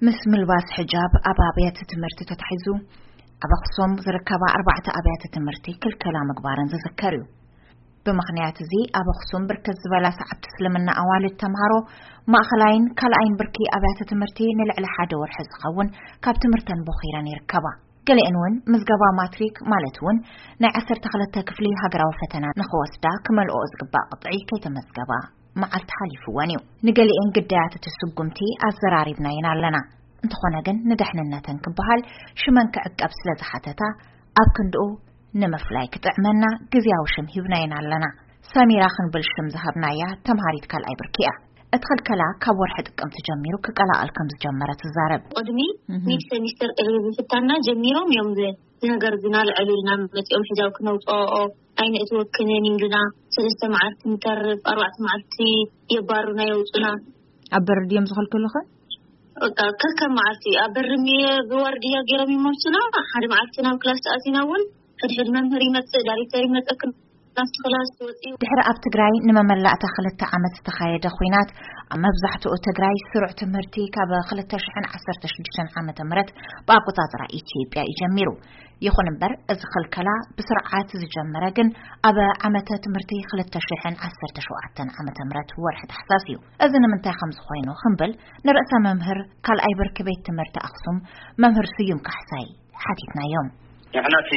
ምስ ምልባስ ሕጃብ ኣብ ኣብያተ ትምህርቲ ተታሒዙ፣ ኣብ ኣኽሱም ዝርከባ ኣርባዕተ ኣብያተ ትምህርቲ ክልከላ ምግባረን ዝዝከር እዩ። ብምኽንያት እዚ፣ ኣብ ኣኽሱም ብርክት ዝበላ ሰዓብቲ እስልምና ኣዋልድ ተምሃሮ ማእኸላይን ካልኣይን ብርኪ ኣብያተ ትምህርቲ ንልዕሊ ሓደ ወርሒ ዝኸውን ካብ ትምህርተን ቦኺረን ይርከባ። ገሊአን እውን ምዝገባ ማትሪክ፣ ማለት እውን ናይ ዓሰርተ ክልተ ክፍሊ ሃገራዊ ፈተና ንኽወስዳ ክመልኦ ዝግባእ ቅጥዒ ከይተመዝገባ መዓልቲ ሓሊፍወን እዩ። ንገሊአን ግዳያት እቲ ስጉምቲ ኣዘራሪብናየን ኣለና። እንተኾነ ግን፣ ንደሕንነተን ክበሃል ሽመን ክዕቀብ ስለ ዝሓተታ፣ ኣብ ክንድኡ ንምፍላይ ክጥዕመና ግዝያዊ ሽም ሂብናየን ኣለና። ሰሚራ ክንብል ሽም ዝሃብናያ ተምሃሪት ካልኣይ ብርኪ እያ። እቲ ክልከላ ካብ ወርሒ ጥቅምቲ ጀሚሩ ክቀላቐል ከም ዝጀመረ ትዛረብ። ቅድሚ እህ። ሚድ ሰሚስተር ቅድሚ ምፍታንና ጀሚሮም እዮም ዝ-፣ እዚ ነገር እዚ ናልዕሉ ኢልና መፂኦም ሕጃብ ክነውፅኦ ኣይነእትወክንን ኢሉና። ሰለስተ መዓልቲ ንተርፍ፣ ኣርባዕተ መዓልቲ የባሩና የውፁና። ኣብ በር ድዮም ዝኸልክሉኸ? በቃ ከከም መዓልቲ ኣብ በር ብወርድያ ገይሮም ይመልሱና። ሓደ መዓልቲ ናብ ክላስ ተኣቲና እውን ሕድሕድ መምህር ይመፅእ፣ ዳይሬክተር ይመፀክን ናብቲ ክላስ ትወፅኡ። ድሕሪ ኣብ ትግራይ ንመመላእታ ክልተ ዓመት ዝተኻየደ ኹናት፣ ኣብ መብዛሕትኡ ትግራይ ስሩዕ ትምህርቲ ካብ ክልተ ሽሕን ዓሰርተ ሽዱሽተን ዓመተ ምህረት ብኣቆፃፅራ ኢትዮጵያ እዩ ጀሚሩ። ይኹን እምበር፣ እዚ ክልከላ ብስርዓት ዝጀመረ ግን ኣብ ዓመተ ትምህርቲ ክልተ ሽሕን ዓሰርተ ሸውዓተን ዓመተ ምህረት ወርሒ ታሕሳስ እዩ። እዚ ንምንታይ ከም ዝኾይኑ ክንብል፣ ንርእሰ መምህር ካልኣይ ብርኪ ቤት ትምህርቲ ኣኽሱም፣ መምህር ስዩም ካሕሳይ፣ ሓቲትናዮም። ንሕና እቲ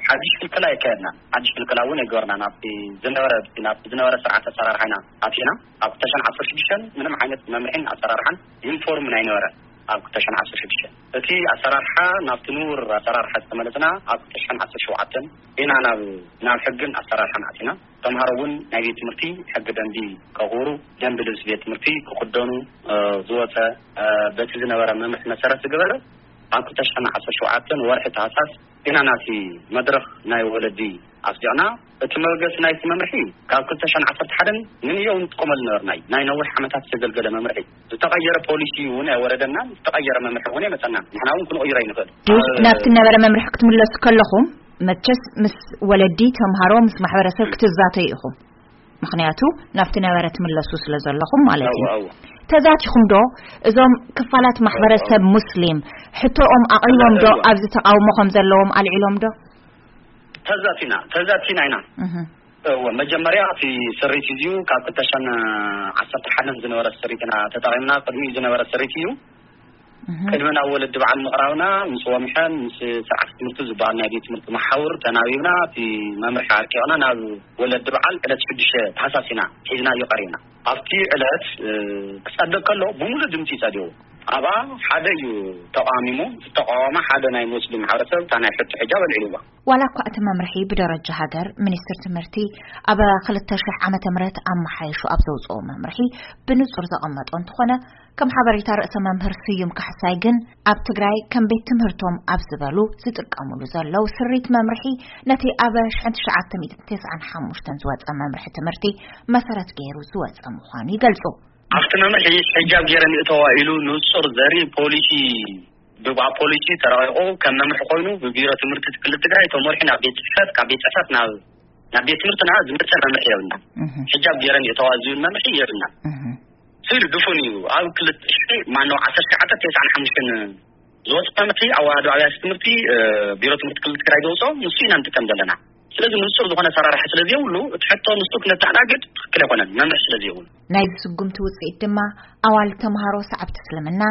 ሓድሽ ክልከላ የካየድና። ሓድሽ ክልከላ እውን የገበርና። ናብቲ ዝነበረ፣ ናብቲ ዝነበረ ስርዓት ኣሰራርሓ ኢና ኣቲና። ኣብ ክልተ ሽሕን ዓሰርተ ሽዱሽተን ምንም ዓይነት መምርሒን ኣሰራርሓን ዩኒፎርም ኣይነበረን። ኣብ ክልተ ሽሕን ዓሰርተ ሽዱሽተን እቲ ኣሰራርሓ ናብቲ ንቡር ኣሰራርሓ ዝተመለስና ኣብ ክልተ ሽሕን ዓሰርተ ሸውዓተን ኢና ናብ፣ ናብ ሕግን ኣሰራርሓን ኣቲና። ተምሃሮ እውን ናይ ቤት ትምህርቲ ሕጊ ደንቢ ከኽብሩ፣ ደንቢ ልብሲ ቤት ትምህርቲ ክኽደኑ፣ እ፣ ዝወፀ፣ እ፣ በቲ ዝነበረ መምርሒ መሰረት ዝገበረ ኣብ ክልተ ሽሕን ዓሰርተ ሸውዓተን ወርሒ ታህሳስ ኢና ናቲ መድረኽ ናይ ወለዲ ኣስዲቕና። እቲ መበገሲ ናይቲ መምርሒ ካብ ክልተ ሽሕን ዓሰርተ ሓደን ንንየው ንጥቀመሉ ነበርና እዩ። ናይ ነዊሕ ዓመታት ዝተገልገለ መምርሒ። ዝተቐየረ ፖሊሲ እውን ኣይወረደናን፣ ዝተቐየረ መምርሒ እውን ኣይመፀናን። ንሕና እውን ክንቕይሮ ኣይንኽእል። ናብቲ ነበረ መምርሒ ክትምለሱ ከለኹም፣ መቸስ ምስ ወለዲ፣ ተምሃሮ፣ ምስ ማሕበረሰብ ክትዛተዩ ኢኹም። ምኽንያቱ ናብቲ ነበረ ትምለሱ ስለ ዘለኹም ማለት እዩ። እወ፣ እወ። ተዛቲኹም ዶ እዞም ክፋላት ማሕበረሰብ እወ፣ እወ። ሙስሊም ሕቶኦም ኣቕሪቦም ዶ እወ። ኣብዚ ተቃውሞ ከም ዘለዎም ኣልዒሎም ዶ? ተዛቲና፣ ተዛቲና ኢና። እህ። እወ፣ መጀመርያ እቲ ስሪት እዩ፣ ካብ ክልተ ሽሕን ዓሰርተ ሓደን ዝነበረ ስሪት ኢና ተጠቒምና። ቅድሚኡ ዝነበረ ስሪት እዩ። እህ። ቅድሚ ናብ ወለዲ በዓል ምቕራብና፣ ምስ ወምሐን ምስ ስርዓት ትምህርቲ ዝበሃል ናይ ቤት ትምህርቲ መሓውር ተናቢብና፣ እቲ መምርሒ ኣርቂቕና ናብ ወለዲ በዓል ዕለት ሽዱሽተ ታህሳስ ኢና ሒዝናዮ ቀሪብና። ኣብቲ ዕለት፣ እ፣ ክጸድቕ ከሎ ብሙሉእ ድምጺ ጸዲቑ። ኣብኣ ሓደ እዩ ተቓሚሙ፣ ዝተቃወመ ሓደ ናይ ሙስሊም ማሕበረሰብ እታ ናይ ሕቶ ሕጃብ ኣልዒልዋ። ዋላ እኳ እቲ መምርሒ ብደረጃ ሃገር ሚኒስትር ትምህርቲ ኣብ ክልተ ሽሕ ዓመተ ምህረት ኣመሓይሹ ኣብ ዘውፅኦ መምርሒ ብንጹር ዘቐመጦ እንተኾነ፣ ከም ሓበሬታ ርእሰ መምህር ስዩም ካሕሳይ ግን፣ ኣብ ትግራይ ከም ቤት ትምህርቶም ኣብ ዝበሉ ዝጥቀሙሉ ዘለዉ ስሪት መምርሒ፣ ነቲ ኣብ ሽሕን ትሽዓተ ሚእትን ተስዓን ሓሙሽተን ዝወፀ መምርሒ ትምህርቲ መሰረት ገይሩ ዝወፀ ምዃኑ ይገልጹ። ኣብቲ መምርሒ ሕጃብ ገይረን ይእተዋ ኢሉ ንጹር ዘርኢ ፖሊሲ፣ ብባ ፖሊሲ ተረቂቑ ከም መምርሒ ኮይኑ ብቢሮ ትምህርቲ ክልል ትግራይ ተመሪሑ ናብ ቤት ጽሕፈት፣ ካብ ቤት ጽሕፈት ናብ፣ ናብ ቤት ትምህርትና ዝመፀ መምርሒ የብልና። እህ። ሕጃብ ገይረን ይእተዋ ዝብል መምርሒ የብልና። እህ። ስኢሉ ድፉን እዩ። ኣብ ክልተ ሽሕ፣ ማነው፣ ዓሰርተ ትሽዓተ ተስዓን ሓሙሽተን ዝወፀ መምርሒ ኣዋህዶ ኣብያተ ትምህርቲ፣ እ፣ ቢሮ ትምህርቲ ክልል ትግራይ ዘውፅኦ ንሱ ኢና ንጥቀም ዘለና። ስለዚ ንጹር ዝኾነ ኣሰራርሓ ስለ ዘይብሉ፣ እቲ ሕቶ ንሱ ክነተኣናግድ ትኽክል ኣይኮነን፣ መምርሒ ስለ ዘይብሉ። ናይዚ ስጉምቲ ውፅኢት ድማ፣ ኣዋልድ ተምሃሮ ሰዓብቲ እስልምና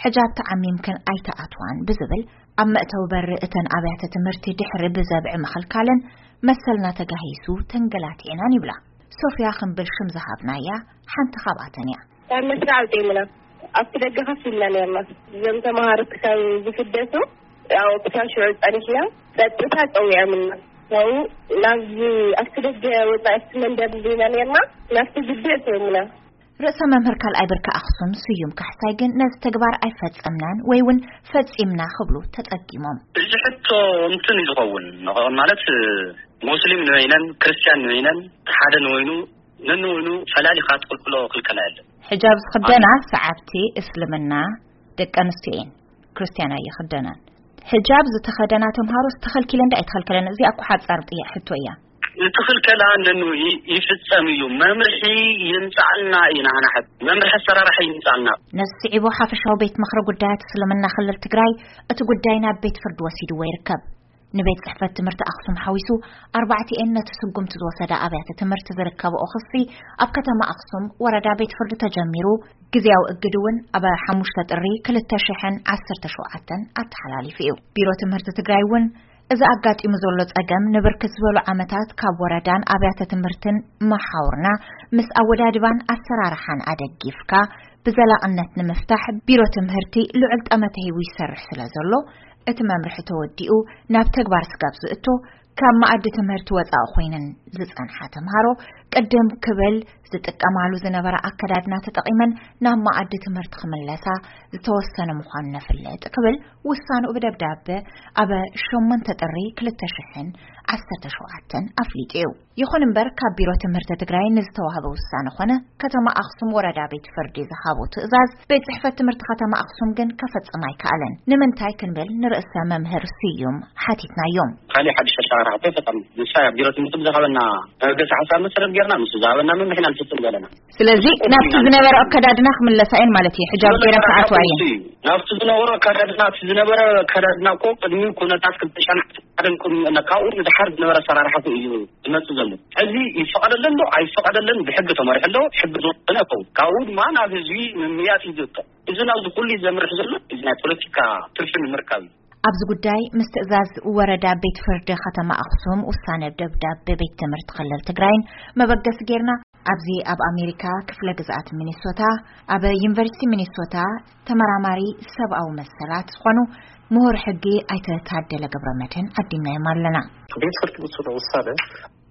ሕጃብ ተዓሚምክን ኣይተኣትዋን ብዝብል፣ ኣብ መእተዊ በሪ እተን ኣብያተ ትምህርቲ ድሕሪ ብዘብዒ ምኽልካለን መሰልና ተጋሂሱ ተንገላቲዕናን ይብላ። ሶፍያ ክንብል ሽም ዝሃብናያ ሓንቲ ካብኣተን እያ። ካብ መስርዕ ኣውፂኦምና ኣብቲ ደገ ከፍ ኢልና ነርና። እዞም ተምሃሮ ክሳብ ዝፍደሱ፣ ያው ክሳብ ሽዑ ጸኒሕና፣ ጸጥታ ጸዊዖምና። ያው ናብዚ ኣብቲ ደገ ወጻኢ ኣብቲ መንደር እንዲና ነርና፣ ናብቲ ግቢ ኣእቲዮምና። ርእሰ መምህር ካልኣይ ብርኪ ኣኽሱም ስዩም ካሕሳይ ግን ነዚ ተግባር ኣይፈጸምናን ወይ እውን ፈጺምና ክብሉ ተጸጊሞም። እዚ ሕቶ እንትን እዩ ዝኸውን፣ ማለት ሙስሊም ንበይነን ክርስቲያን ንበይነን ሓደ ንበይኑ ነንበይኑ ፈላሊኻ ትኽልክሎ ክልከላ የለን። ሕጃብ ዝኽደና ሰዓብቲ እስልምና ደቂ ኣንስትዮ እየን፣ ክርስቲያን ኣይኽደናን። ሕጃብ ዝተኸደና ተምሃሮስ ተኸልኪለን ዶ ኣይተኸልከለን? እዚኣ እኮ ሓጻር ጥያ-፣ ሕቶ እያ። እቲ ክልከላ ነኑ ይ-፣ ይፍጸም እዩ። መምርሒ ይምጻልና ኢና ንሓት። መምርሒ ኣሰራርሓ ይምጻልና። ነዚ ስዒቡ ሓፈሻዊ ቤት ምኽሪ ጉዳያት እስልምና ክልል ትግራይ እቲ ጉዳይ ናብ ቤት ፍርዲ ወሲድዎ ይርከብ። ንቤት ጽሕፈት ትምህርቲ ኣኽሱም ሓዊሱ ኣርባዕቲኤን ነቲ ስጉምቲ ዝወሰዳ ኣብያተ ትምህርቲ ዝርከብኦ ክሲ ኣብ ከተማ ኣኽሱም ወረዳ ቤት ፍርዲ ተጀሚሩ፣ ግዜያዊ እግድ እውን ኣብ ሓሙሽተ ጥሪ ክልተ ሽሕን ዓሰርተ ሸውዓተን ኣተሓላሊፉ እዩ። ቢሮ ትምህርቲ ትግራይ እውን እዚ ኣጋጢሙ ዘሎ ጸገም ንብርክት ዝበሉ ዓመታት ካብ ወረዳን ኣብያተ ትምህርትን መሓውርና ምስ ኣወዳድባን ኣሰራርሓን ኣደጊፍካ ብዘላቕነት ንምፍታሕ ቢሮ ትምህርቲ ልዑል ጠመተ ሂቡ ይሰርሕ ስለ ዘሎ፣ እቲ መምርሒ ተወዲኡ ናብ ተግባር ስጋብ ዝእቶ ካብ መኣዲ ትምህርቲ ወጻኢ ኮይነን ዝጸንሓ ተምሃሮ ቅድም ክብል ዝጥቀማሉ ዝነበረ ኣከዳድና ተጠቒመን ናብ መኣዲ ትምህርቲ ክምለሳ ዝተወሰነ ምዃኑ ነፍልጥ ክብል ውሳንኡ ብደብዳበ ኣብ ሸሞንተ ጥሪ ክልተ ሽሕን ዓሰርተ ሸውዓተን ኣፍሊጡ እዩ። ይኹን እምበር ካብ ቢሮ ትምህርቲ ትግራይ ንዝተዋህበ ውሳነ ኾነ ከተማ ኣኽሱም ወረዳ ቤት ፍርዲ ዝሃቦ ትእዛዝ ቤት ጽሕፈት ትምህርቲ ከተማ ኣኽሱም ግን ከፈጽም ኣይከኣለን። ንምንታይ ክንብል ንርእሰ መምህር ስዩም ሓቲትናዮም። ካልእ ሓድሽ ኣሰራርሓ እኮ ኣይፈጠርና። ንሳ ቢሮ ትምህርቲ ብዝሃበና መበገሲ ሓሳብ መሰረት ጌርና ምስ ዝሃበና መምርሒ ኢና ንፍጽም ዘለና። ስለዚ ናብቲ ዝነበረ ኣከዳድና ክምለሳ እየን ማለት እዩ። ሕጃብ ገይረን ክኣትዋ እየን። ናብቲ ዝነበረ ኣከዳድና፣ እቲ ዝነበረ ኣከዳድና እኮ ቅድሚ ኩነታት ክልተ ሺሕን ሓደን ቅድሚ፣ ካብኡ ንድሓር ዝነበረ ኣሰራርሓ እኮ እዩ ዝመጽእ ዘሎ። ሕዚ ይፈቐደለን ዶ ኣይፈቐደለን ብሕጊ ተመሪሑ ኣሎ፣ ሕጊ ዝወሰነ ይኸውን። ካብኡ ድማ ናብ ህዝቢ ምምያጥ እዩ ዝርከብ። እዚ ናብዚ ኩሉ ዘምርሕ ዘሎ እዚ ናይ ፖለቲካ ትርፊ ንምርካብ እዩ። ኣብዚ ጉዳይ ምስ ትእዛዝ ወረዳ ቤት ፍርዲ ከተማ ኣኽሱም ውሳነ ደብዳቤ ቤት ትምህርቲ ክልል ትግራይን መበገሲ ጌርና፣ ኣብዚ ኣብ ኣሜሪካ ክፍለ ግዝኣት ሚኒሶታ ኣብ ዩኒቨርሲቲ ሚኒሶታ ተመራማሪ ሰብኣዊ መሰላት ዝኾኑ ምሁር ሕጊ ኣይተ ታደለ ገብረ መድህን ዓዲምናዮም ኣለና። ቤት ፍርዲ ውስኖ ውሳነ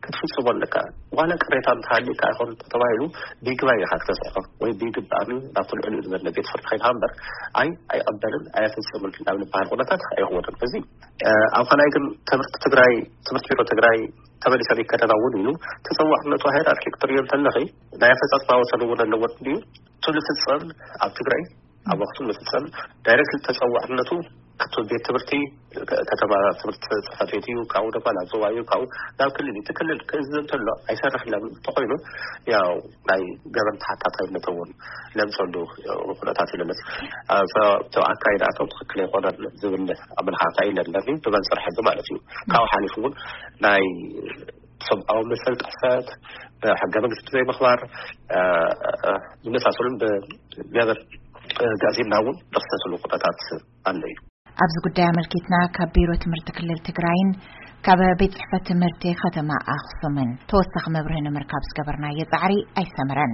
ክትፍጽሞ ኣለካ። ዋላ ቅሬታ እንተሃልዩካ ይኹን ተባሂሉ ቢግባይ ኢኻ ክተስዕፎ ወይ ቢግባሚ ናብቲ ልዕሊኡ ዝበለ ቤት ፍርዲ ከይድካ እምበር፣ ኣይ ኣይቐበልን ኣየፍጽምን ናብ ዝበሃል ኩነታት ኣይኽወንን። እዚ፣ እ፣ ኣብ ካልኣይ ግን ትምህርቲ ትግራይ፣ ትምህርቲ ቢሮ ትግራይ ተመሊሰን ይከደና እውን ኢሉ ተጸዋዕነቱ ሃይራርኪ ክትርእዮ እንተለኺ ናይ ኣፈጻጽማ ወሰን እውን ኣለዎ ድዩ? እቱ ዝፍጸም ኣብ ትግራይ ኣብ ኣኽሱም ዝፍጸም ዳይሬክት ተጸዋዕነቱ እቲ ቤት ትምህርቲ ከ-፣ ከተማ ትምህርቲ ጽሕፈት ቤት እዩ፣ ካብኡ ድማ ናብ ዞባ እዩ፣ ካብኡ ናብ ክልል እዩ። እቲ ክልል ክእዝዝ እንተሎ ኣይሰርሕን እንተኾይኑ ያው ናይ ገበን ተሓታታይነት እውን ለምፀሉ ኩነታት እዩ ለመፅ። ኣብ፣ እቲ ኣካይዳቶም ትኽክል ኣይኮነን ዝብል ኣመለኻኽታ እዩ ለለኒ ብመንፅር ሕጊ ማለት እዩ። ካብኡ ሓሊፉ እውን ናይ ሰብኣዊ መሰል ጥሕሰት፣ ሕገ መንግስቲ ዘይምኽባር፣ እ፣ እ፣ ዝመሳሰሉን ብገበን፣ እ፣ ጋዜና እውን ዝኽሰስሉ ኩነታት ኣሎ እዩ። ኣብዚ ጉዳይ ኣመልኪትና ካብ ቢሮ ትምህርቲ ክልል ትግራይን ካብ ቤት ጽሕፈት ትምህርቲ ከተማ ኣኽሱምን ተወሳኺ መብርሂ ንምርካብ ዝገበርናዮ ጻዕሪ ኣይሰመረን።